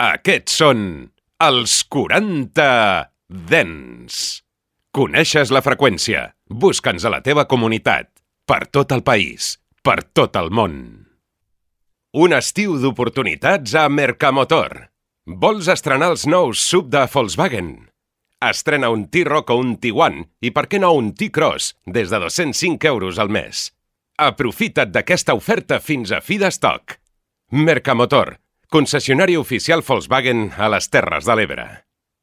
Aquests són els 40 Dents. Coneixes la freqüència? Busca'ns a la teva comunitat. Per tot el país. Per tot el món. Un estiu d'oportunitats a Mercamotor. Vols estrenar els nous SUV de Volkswagen? Estrena un T-Roc o un Tiguan i per què no un T-Cross des de 205 euros al mes. Aprofita't d'aquesta oferta fins a fi d'estoc. Mercamotor, concessionari oficial Volkswagen a les Terres de l'Ebre.